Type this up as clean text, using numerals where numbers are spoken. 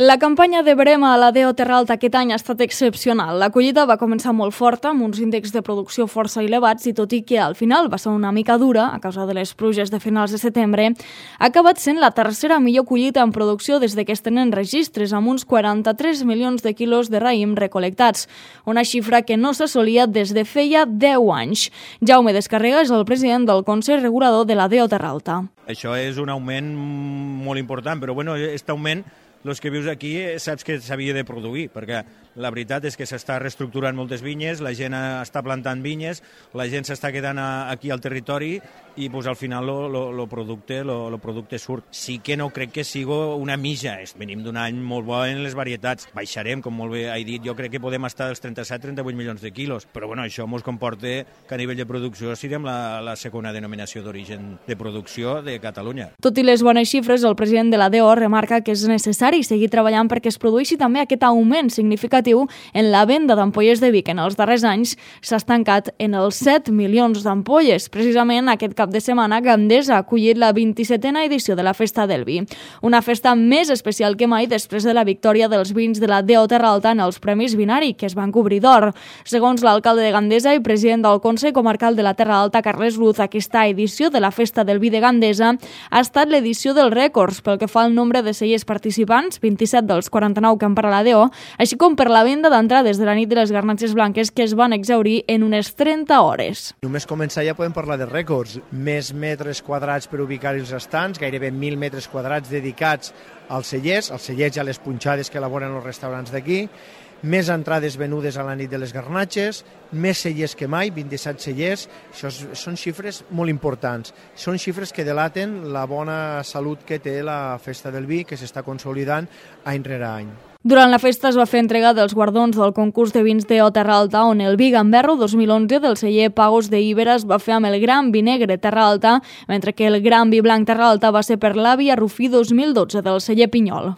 La campanya de Brema a la DO Terra Alta aquest any ha estat excepcional. La collita va començar molt forta, amb uns índexs de producció força elevats, i tot i que al final va ser una mica dura, a causa de les pluges de finals de setembre, ha acabat sent la tercera millor collita en producció des que es tenen registres, amb uns 43 milions de quilos de raïm recolectats, una xifra que no s'assolia des de feia 10 anys. Jaume Descarrega és el president del Consell Regulador de la DO Terra Alta. Això és un augment molt important, però aquest augment, els que vius aquí, saps que s'havia de produir, perquè la veritat és que s'està reestructurant moltes vinyes, la gent està plantant vinyes, la gent s'està quedant aquí al territori i al final el producte surt. Sí que no crec que sigui una mitja, venim d'un any molt bo en les varietats, baixarem, com molt bé he dit, jo crec que podem estar als 37-38 milions de quilos, però això ens comporta que a nivell de producció siguem la segona denominació d'origen de producció de Catalunya. Tot i les bones xifres, el president de la DO remarca que és necessari seguir treballant perquè es produeixi també aquest augment significatiu en la venda d'ampolles de vi, que en els darrers anys s'ha estancat en els 7 milions d'ampolles. Precisament aquest cap de setmana Gandesa ha acollit la 27a edició de la Festa del Vi, una festa més especial que mai després de la victòria dels vins de la DO Terra Alta en els Premis Vinari, que es van cobrir d'or. Segons l'alcalde de Gandesa i president del Consell Comarcal de la Terra Alta, Carles Luz, aquesta edició de la Festa del Vi de Gandesa ha estat l'edició dels rècords pel que fa al nombre de cellers participants, 27 dels 49 que han per a la DO, així com per la venda d'entrades de la nit de les garnatxes blanques, que es van exhaurir en unes 30 hores. Només començar ja podem parlar de rècords. Més metres quadrats per ubicar els estants, gairebé 1.000 metres quadrats dedicats als cellers i a les punxades que elaboren els restaurants d'aquí, més entrades venudes a la nit de les garnatxes, més cellers que mai, 27 cellers. Això són xifres molt importants. Són xifres que delaten la bona salut que té la Festa del Vi, que s'està consolidant any rere any. Durant la festa es va fer entrega dels guardons del concurs de vins DO Terra Alta, on el vi Gamberro 2011 del celler Pagos de Ibera es va fer amb el Gran Vi Negre Terra Alta, mentre que el Gran Vi Blanc Terra Alta va ser per l'Àvia Rufí 2012 del celler Pinyol.